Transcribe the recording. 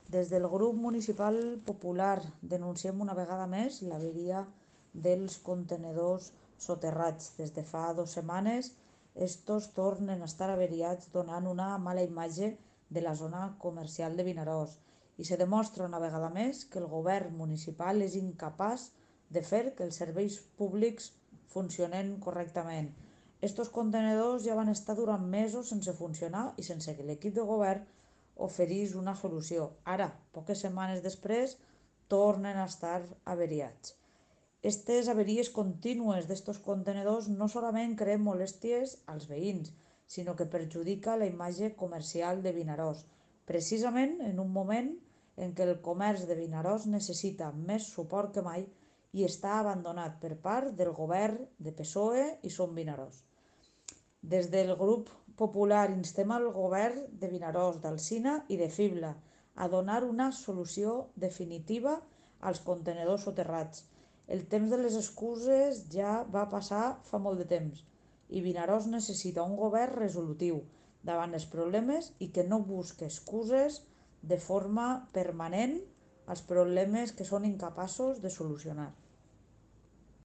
Des del grup municipal popular denunciem una vegada més l'averia dels contenedors soterrats. Des de fa 2 setmanes, estos tornen a estar averiats, donant una mala imatge de la zona comercial de Vinaròs. I se demostra una vegada més que el govern municipal és incapaç de fer que els serveis públics funcionen correctament. Estos contenedors ja van estar durant mesos sense funcionar i sense que l'equip de govern oferís una solució. Ara, poques setmanes després, tornen a estar averiats. Aquestes averies contínues d'estos contenedors no solament creen molèsties als veïns, sinó que perjudica la imatge comercial de Vinaròs, precisament en un moment en què el comerç de Vinaròs necessita més suport que mai i està abandonat per part del govern de PSOE i Som Vinaròs. Des del grup popular instem al govern de Vinaròs, d'Alsina i de Fibla a donar una solució definitiva als contenidors soterrats. El temps de les excuses ja va passar fa molt de temps i Vinaròs necessita un govern resolutiu davant els problemes i que no busque excuses de forma permanent als problemes que són incapaços de solucionar.